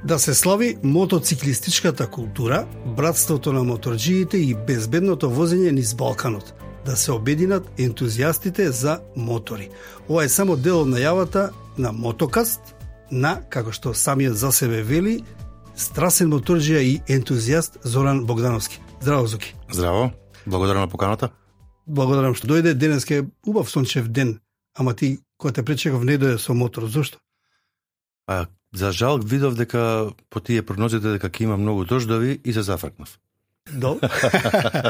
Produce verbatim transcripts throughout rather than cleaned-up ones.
Да се слави мотоциклистичката култура, братството на моторџиите и безбедното возење низ Балканот. Да се обединат ентузијастите за мотори. Ова е само дел од најавата на Мотокаст, на, како што самиот за себе вели, страсен моторџија и ентузијаст Зоран Богдановски. Здраво, Зуки. Здраво, благодарам на поканата. Благодарам што дојде, денеска е убав сончев ден, ама ти кој те пречекав не дојде со мотор, зошто? А, за жал видов дека по тие прогнозите дека ќе има многу дождови и се зафркнав. До.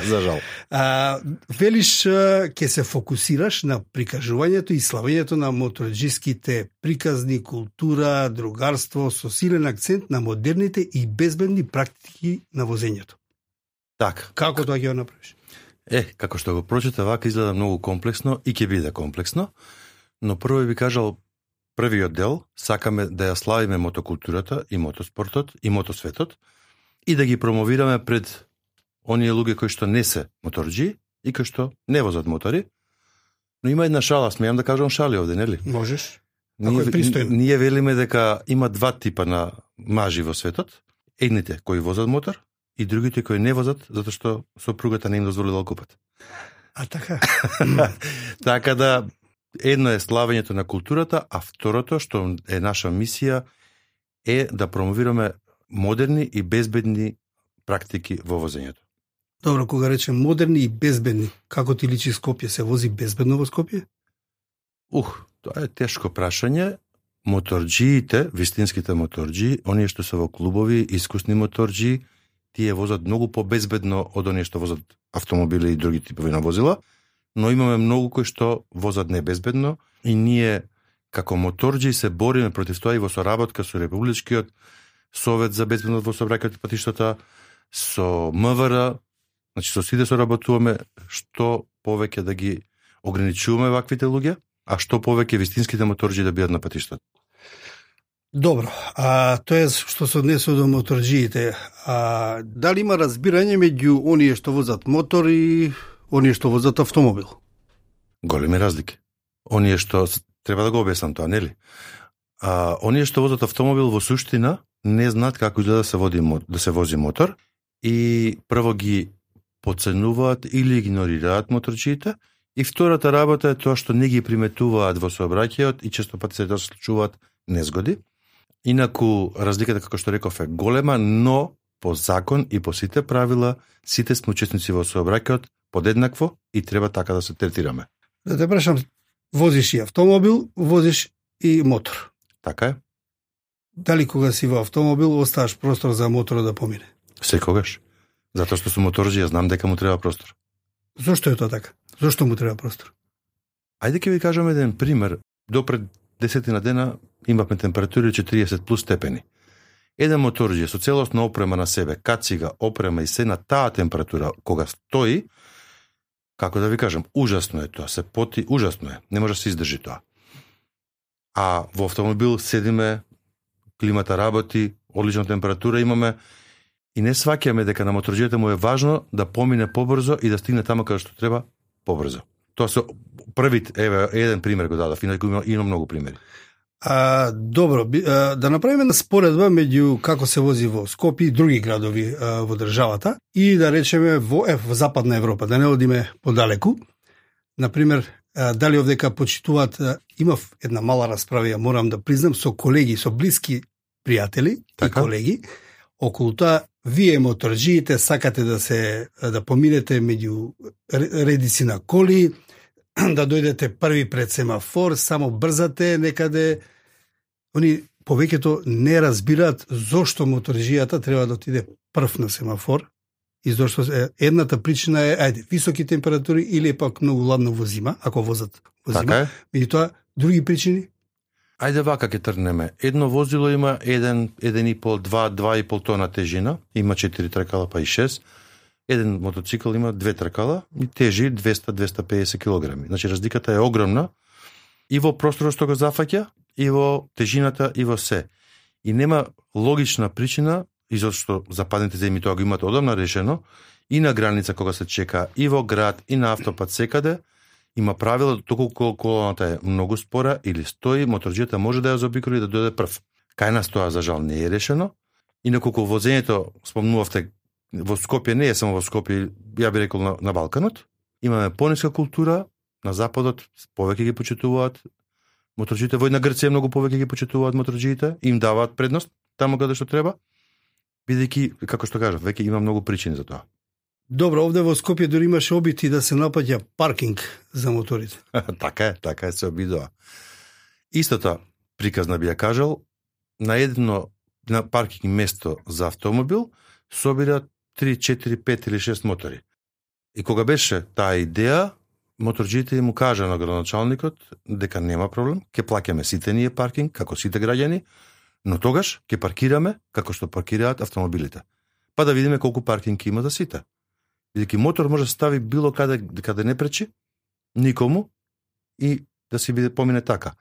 За жал. А, велиш, ќе се фокусираш на прикажувањето и славењето на моторџиските приказни, култура, другарство, со силен акцент на модерните и безбедни практики на возењето. Така. Како тоа ќе го направиш? Е, како што го прочита, вака изгледа многу комплексно и ќе биде комплексно, но прво би кажал првиот дел, сакаме да ја славиме мотокултурата и мотоспортот и мотосветот и да ги промовираме пред оние луѓе кои што не се моторџи и кои што не возат мотори. Но има една шала, смеам да кажам шали овде, нели? Можеш. Ако Ние, е пристојно. ние велиме дека има два типа на мажи во светот. Едните кои возат мотор и другите кои не возат затоа што сопругата не им дозволила да купат. А така? Така да, едно е славењето на културата, а второто, што е наша мисија, е да промовираме модерни и безбедни практики во возењето. Добро, кога речем модерни и безбедни, како ти личи Скопје? Се вози безбедно во Скопје? Ух, тоа е тешко прашање. Моторџиите, вистинските моторџи, оние што се во клубови, искусни моторџи, тие возат многу побезбедно од оние што возат автомобили и други типови на возила, но имаме многу кои што возат небезбедно и ние како моторџи се бориме против тоа и во соработка со Републичкиот Совет за безбедност во сообраќајот и патиштата, со М В Р, значи со сите соработуваме што повеќе да ги ограничуваме ваквите луѓе, а што повеќе вистинските моторџи да бидат на патиштата. Добро, а тоа е што се однесува до моторџиите. А дали има разбирање меѓу оние што возат мотор и оние што возат автомобил? Големи разлики. Оние што треба да го објаснам тоа, нели? А оние што возат автомобил во суштина не знаат како изгледа да се води да се вози мотор и прво ги подценуваат или игнорираат моторџиите и втората работа е тоа што не ги приметуваат во сообраќајот и често пати се случуваат незгоди. Инаку разликата, како што реков, е голема, но по закон и по сите правила сите сме учесници во сообраќајот подеднакво и треба така да се третираме. Да те прашам, возиш и автомобил, возиш и мотор. Така е? Дали кога си во автомобил оставаш простор за моторот да помине? Секогаш. Затоа што сум моторџи, ја знам дека му треба простор. Зошто е тоа така? Зошто му треба простор? Ајде ќе ви кажам еден пример. До пред десетина дена имавме температури четириесет плюс степени. Еден моторџи со целосна опрема на себе, кацига, опрема и се на таа температура, кога стои, како да ви кажам, ужасно е тоа, се поти, ужасно е, не може да се издржи тоа. А во автомобил седиме, климата работи, одлична температура имаме и не сваќаме дека на моторџијата му е важно да помине побрзо и да стигне таму каде што треба побрзо. Тоа се првит, еве, еден пример го дадов, инаку има, има многу примери. А, добро, а, да направиме на споредба меѓу како се вози во Скопје и други градови а, во државата и да речеме во, е, во Западна Европа, да не одиме подалеку. Например, а, дали овдека почитуваат, а, имав една мала расправа, ја морам да признам, со колеги, со блиски пријатели така? И колеги, околу тоа, вие моторџиите сакате да се да поминете меѓу редици на коли, да дојдете први пред семафор, само брзате некаде. Они повеќето не разбираат зошто моторџијата треба да отиде прв на семафор и зошто е, едната причина е ајде високи температури или пак многу ладно во зима, ако возат во зима. Така е. Меѓутоа други причини. Ајде вака ќе тргнеме. Едно возило има еден, еден и пол, два, два и пол тона тежина, има четири тркала па и шест. Еден мотоцикл има две тркала и тежи двеста до двеста и педесет килограми. Значи разликата е огромна и во просторот што го зафаќа, и во тежината, и во се. И нема логична причина, и зашто западните земји тоа го имаат одамна решено, и на граница кога се чека, и во град, и на автопат секаде, има правило, доколку колоната е многу спора или стои, моторџијата може да ја заобиколи и да дојде прв. Кај нас тоа за жал не е решено, Инаку возењето, спомнувавте, во Скопје не е само во Скопје, ја би рекол на, на Балканот. Имаме пониска култура, на Западот повеќе ги почитуваат моторџиите, во една Грција многу повеќе ги почитуваат моторџиите, им даваат предност таму каде што треба, бидејќи, како што кажав, веќе има многу причини за тоа. Добро, овде во Скопје дури имаше обити да се напаѓа паркинг за моторите. Така е, така е, се обидува. Истата приказна би ја кажал, на едно на паркинг место за автомобил собира три, четири, пет или шест мотори. И кога беше таа идеја, моторџиите му кажа на градоначалникот дека нема проблем, ќе плаќаме сите ние паркинг, како сите граѓани, но тогаш ќе паркираме како што паркираат автомобилите. Па да видиме колку паркинг има за сите. Бидејќи мотор може да стави било каде, каде не пречи, никому, и да си биде помине така.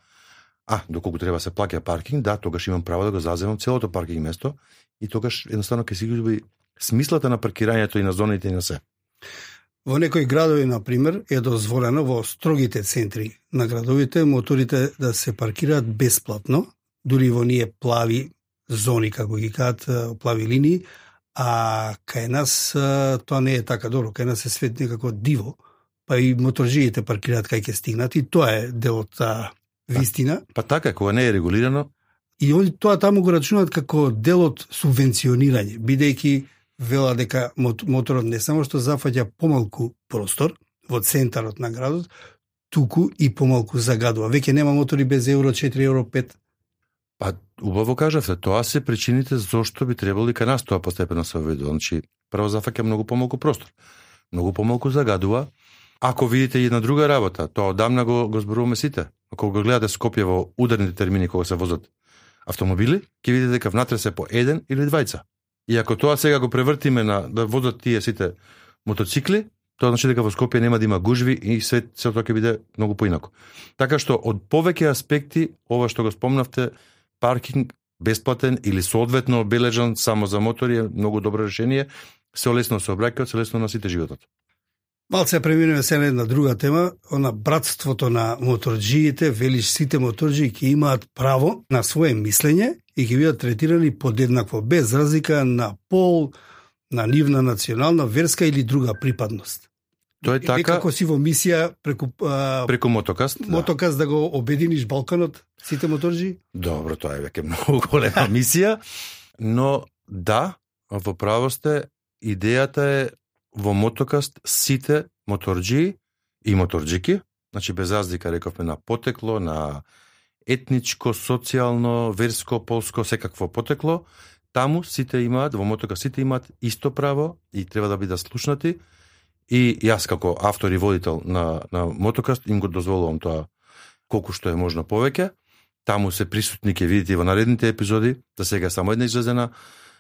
А, доколку треба се плаќа паркинг, да, тогаш имам право да го заземам целото паркинг место и тогаш едноставно ќе си губи смислата на паркирањето и на зоните и на се. Во некои градови, например, е дозволено во строгите центри на градовите моторите да се паркираат бесплатно, дури во ние плави зони, како ги кажат, плави линии, а кај нас тоа не е така добро, кај нас е свет некако диво, па и моторџиите паркираат кај ќе стигнат и тоа е дел од таа вистина. Па, па така, кога не е регулирано. И они тоа таму го рачунат како дел од субвенционирање, бидејќи вела дека моторот не само што зафаќа помалку простор во центарот на градот, туку и помалку загадува. Веќе нема мотори без евро четири, евро пет. Па, убаво кажавте, тоа се причините зошто би требало и кај нас тоа постепено се введува. Значи, прво зафаќа многу помалку простор, многу помалку загадува. Ако видите една друга работа, тоа одамна го, го зборуваме сите. Ако го гледате Скопје во ударните термини кога се возат автомобили, ќе видите дека внатре се по еден или двајца. И ако тоа сега го превртиме на да возат тие сите мотоцикли, тоа значи дека во Скопје нема да има гужви и се се тоа ќе биде многу поинако. Така што од повеќе аспекти ова што го спомнавте, паркинг бесплатен или соодветно обележан само за мотори е многу добро решение, се олесно се обраќаат, се лесно на сите животот. Малце преминеме се на една друга тема, она братството на моторџиите, велиш сите моторџии ќе имаат право на свое мислење и ќе бидат третирани подеднакво, без разлика на пол, на нивна национална, верска или друга припадност. Тоа е така. Како си во мисија преку а, преку Мотокаст, Мотокаст да. да го обединиш Балканот, сите моторџии? Добро, тоа е веќе многу голема мисија, но да, во право сте, идејата е во Мотокаст сите моторџии и моторџики, значи без разлика рековме на потекло, на етничко, социјално, верско, полско, секакво потекло, таму сите имаат, во Мотокаст сите имаат исто право и треба да бидат слушнати. И јас како автор и водител на, на Мотокаст им го дозволувам тоа колку што е можно повеќе. Таму се присутни, ќе видите во наредните епизоди, за сега само една излезена.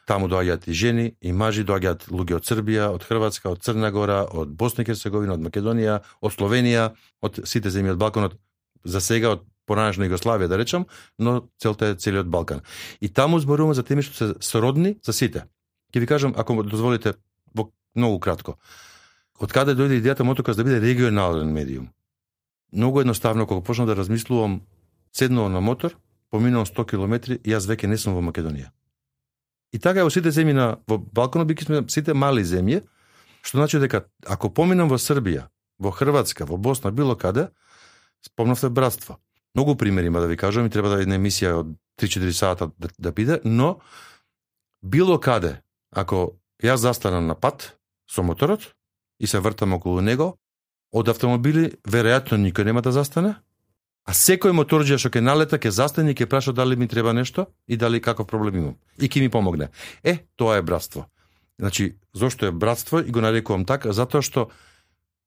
Таму доаѓаат и жени, и мажи, доаѓаат луѓе од Србија, од Хрватска, од Црна Гора, од Босна и Херцеговина, од Македонија, од Словенија, од сите земји од Балканот, за сега од поранешна Југославија, да речам, но целта е целиот Балкан. И таму зборуваме за теми што се сродни за сите. Ќе ви кажам, ако дозволите, во многу кратко. Од каде дојде идејата Мотокаст да биде регионален медиум? Многу едноставно, кога почнав да размислувам, седнувам на мотор, поминувам сто километри и јас веќе не сум во Македонија. И така во сите земји на во Балканот биќе сме сите мали земји, што значи дека ако поминам во Србија, во Хрватска, во Босна, било каде, спомнавте братство. Многу примери има да ви кажам и треба да една емисија од три-четири сата да, да биде, но било каде, ако јас застанам на пат со моторот и се вртам околу него, од автомобили веројатно никој нема да застане, а секој моторџија што ќе налета, ќе застане и ќе праша дали ми треба нешто и дали каков проблем имам. И ќе ми помогне. Е, тоа е братство. Значи, зошто е братство и го нарекувам така? Затоа што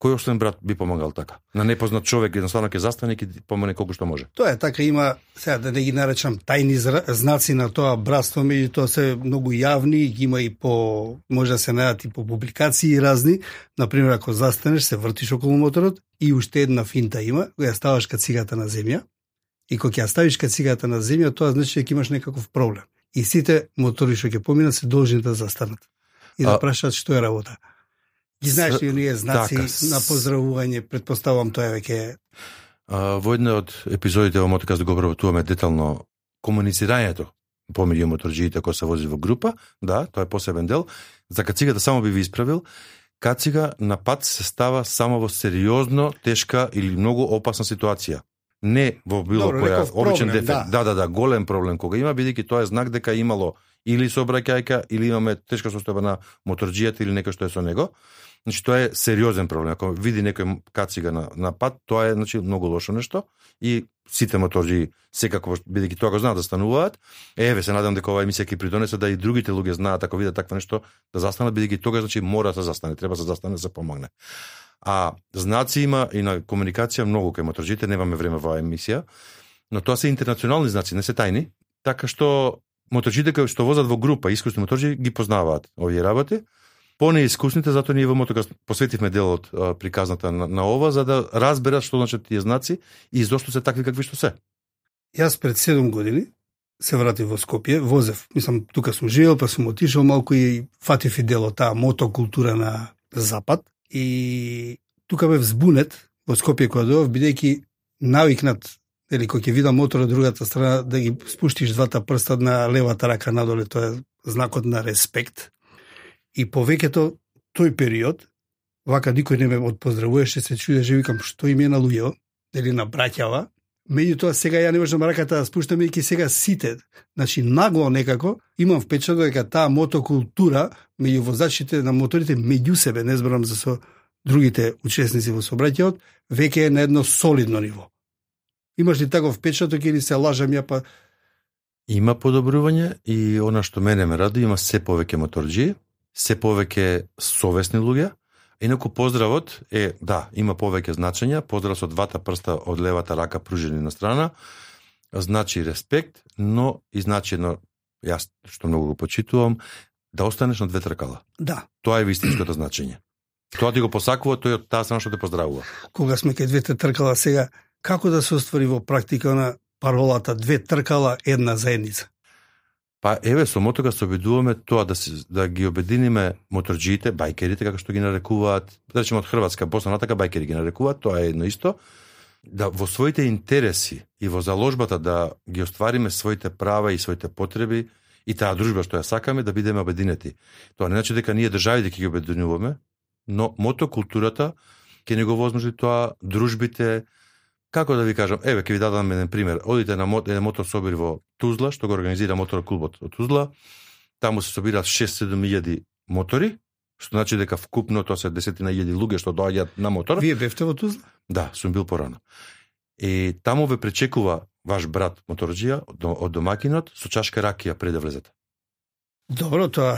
кој оштен брат би помогал така? На непознат човек едноставно ќе застане и ќе помогне колку што може. Тоа е така, има, сега да не ги наречам тајни знаци на тоа братство, меѓутоа се многу јавни, ги има и по, може да се најдат и по публикации разни. Например, ако застанеш, се вртиш околу моторот и уште една финта има, која ја ставаш кацигата на земја, и кога ќе ја ставиш кацигата на земја, тоа значи дека имаш некаков проблем. И сите мотори што ќе поминат се должни да застанат и да а... прашаат што е работа. Ги знаеш ли оние знаци така, на поздравување, предпоставувам тоа веќе. Во една од епизодите во Мотокаст го обработуваме детално комуницирањето помеѓу моторџиите кои се вози во група, да, тоа е посебен дел. За кацигата само би ви исправил, кацига на пат се става само во сериозно, тешка или многу опасна ситуација. Не во било Добро, која неков обичен проблем, дефект. да. Да, да, да, голем проблем кога има, бидејќи тоа е знак дека имало или сообраќајка, или имаме тешка состојба на моторџијата или некој што е со него. Значи тоа е сериозен проблем. Ако види некој кацига на, на пат, тоа е значи многу лошо нешто и сите моторџии секако бидејќи тоа го знаат да стануваат. Еве се надам дека оваа емисија ќе придонесе да и другите луѓе знаат ако видат такво нешто да застанат, бидејќи тогаш значи мора да се застане, треба да се застане да се помогне. А знаци има и на комуникација многу кај моторџиите, немаме време во оваа емисија, но тоа се интернационални знаци, не се тајни, така што моторџиите кои што возат во група, искусни моторџии ги познаваат овие работи. Понеискусните, затоа ние во Мотокаст посветивме дел од а, приказната на, на ова, за да разберат што значат тие знаци и зошто се такви какви што се. Јас пред седум години се вратив во Скопје, возев, мислам, тука сум живеел, па сум отишол малку и фатив и дел од таа мотокултура на Запад и тука бев збунет во Скопје кога дојдов, бидејќи навикнат, или кој ќе видам мотор од другата страна, да ги спуштиш двата прста на левата рака надоле, тоа е знакот на респект. И повеќето тој период, вака никој не ме отпоздравуваше, се чудеше, викам, што им е на луѓето, дали на браќава. Меѓутоа сега ја не можам раката да спуштам, бидејќи сега сите, значи нагло некако, имам впечаток дека таа мотокултура меѓу возачите на моторите меѓу себе, не зборам за со другите учесници во сообраќајот, веќе е на едно солидно ниво. Имаш ли таков впечаток или се лажам ја па? Има подобрување и она што мене ме ради, има се повеќе моторџии, се повеќе совесни луѓе. Инаку поздравот е, да, има повеќе значења, поздрав со двата прста од левата рака пружени на страна, значи респект, но и значи едно, јас што многу го почитувам, да останеш на две тркала. Да. Тоа е вистинското значење. Тоа ти го посакува, тој од таа страна што те поздравува. Кога сме кај двете тркала сега, како да се оствари во практика на паролата две тркала, една заедница? Па еве со Мотокаст се обидуваме тоа да се, да ги обединиме моторџиите, бајкерите како што ги нарекуваат, да речеме од Хрватска, Босна натака бајкери ги нарекуваат, тоа е едно исто, да во своите интереси и во заложбата да ги оствариме своите права и своите потреби и таа дружба што ја сакаме да бидеме обединети. Тоа не значи дека ние државите ќе ги обединуваме, но мотокултурата ќе ни го возможи тоа, дружбите. Како да ви кажам, еве ќе ви дадам еден пример. Одите на мот, еден мотособир во Тузла, што го организира моторклубот од Тузла. Таму се собираат шест-седум илјади мотори, што значи дека вкупно тоа се десетина илјади луѓе што доаѓаат на мотор. Вие бевте во Тузла? Да, сум бил порано. И таму ве пречекува ваш брат моторџија од домакинот со чашка ракија пред да влезете. Добро, тоа.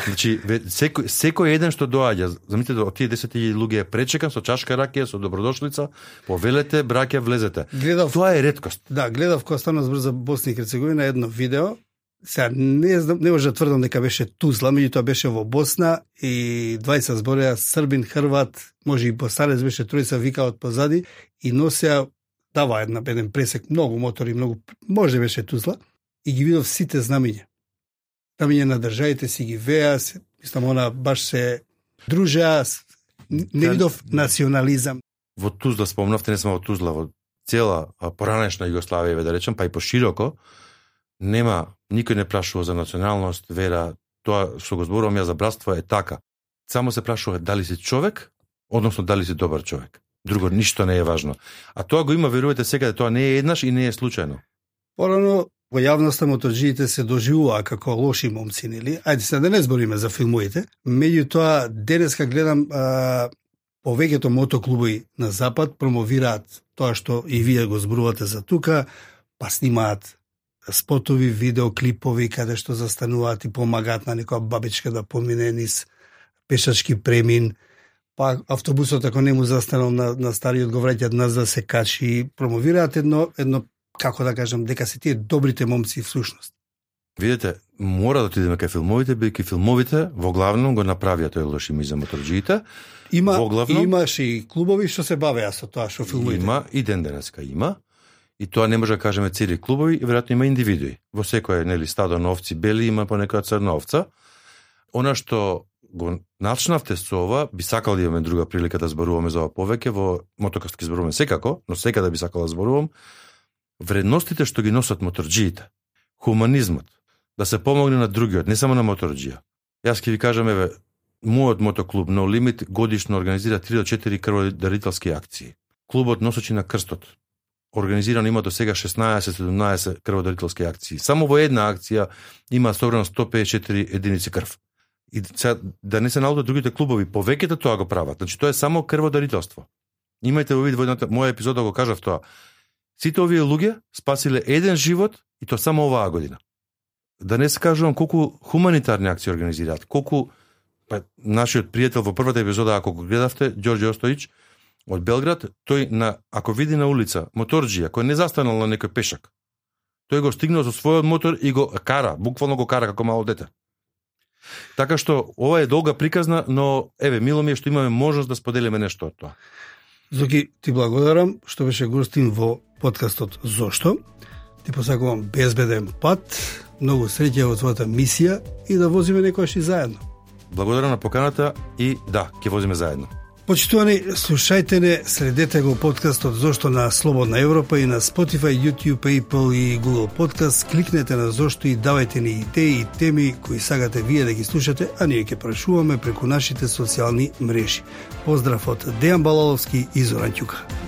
Значи, секој, секој еден што доаѓа, замислете, од тие десет илјади луѓе е пречекан со чашка ракија, со добродошлица, повелете, браќа, влезете. Гледав, тоа е реткост. Да, гледав кога станав збор за Босна и Херцеговина едно видео. Сега не знам, не може да тврдам дека беше Тузла, меѓутоа беше во Босна и двајца збореа србин, хрват, може и босарец беше тројца викаат позади и носеа дава една еден пресек, многу мотори, многу, може беше Тузла и ги видов сите знамиња. Знамиња на државите си ги веа, мислам она баш се дружеа, не видов национализам. Во Тузла спомнавте, не сме во Тузла, во цела поранешна Југославија, да речем, па и пошироко, нема, никој не прашува за националност, вера, тоа што го зборувам ја за братство е така. Само се прашува дали си човек, односно дали си добар човек. Друго ништо не е важно. А тоа го има, верувате секаде, тоа не е еднаш и не е случајно. Порано во јавноста моторџиите се доживуваа како лоши момци, нели? Ајде се да не збориме за филмовите. Меѓутоа денеска гледам а, повеќето мотоклубови на запад промовираат тоа што и вие го зборувате за тука, па снимаат спотови, видеоклипови каде што застануваат и помагаат на некоја бабичка да помине низ пешачки премин, па автобусот ако не му застанал на, на стариот го враќаат нас да се качи, промовираат едно, едно, како да кажам, дека се тие добрите момци всушност. Видете, мора да отидеме кај филмовите, бидејќи филмовите во главном го направија тој лош имидж за моторџиите. Има, главном, имаше и клубови што се бавеа со тоа што филмовите. Има и ден денеска има. И тоа не може да кажеме цели клубови, и веројатно има индивидуи. Во секој нели стадо на овци бели има по некоја црна овца. Она што го начнавте со ова, би сакал да имаме друга прилика да зборуваме за ова повеќе, во Мотокаст ќе зборуваме секако, но секаде би сакал да зборувам. Вредностите што ги носат моторџиите, хуманизмот, да се помогне на другиот, не само на моторџија. Јас ќе ви кажам, еве, мојот мотоклуб No Limit годишно организира три до четири крводарителски акции. Клубот Носачи на крстот организирано има до сега шеснаесет седумнаесет крводарителски акции. Само во една акција има собрано сто педесет и четири единици крв. И сега, да не се наудат другите клубови, повеќето тоа го прават. Значи тоа е само крводарителство. Имајте во вид во едната моја епизода го кажав тоа. Сите овие луѓе спасиле еден живот и то само оваа година. Да не се кажувам колку хуманитарни акции организираат, колку па, нашиот пријател во првата епизода, ако го гледавте, Ѓорѓе Остојич од Белград, тој на ако види на улица моторџија кој не застанал на некој пешак, тој го стигнал со својот мотор и го кара, буквално го кара како мало дете. Така што ова е долга приказна, но еве мило ми е што имаме можност да споделиме нешто од тоа. Зоки, ти благодарам што беше гостин во подкастот Зошто. Ти посакувам безбеден пат, многу среќа во твојата мисија и да возиме некојаш и заедно. Благодарам на поканата и да, ќе возиме заедно. Почитувани, слушајте не, следете го подкастот Зошто на Слободна Европа и на Spotify, YouTube, Apple и Google Podcast. Кликнете на Зошто и давајте ни идеи и теми кои сакате вие да ги слушате, а ние ќе прашуваме преку нашите социјални мрежи. Поздрав од Дејан Балаловски и Зоран Ќука.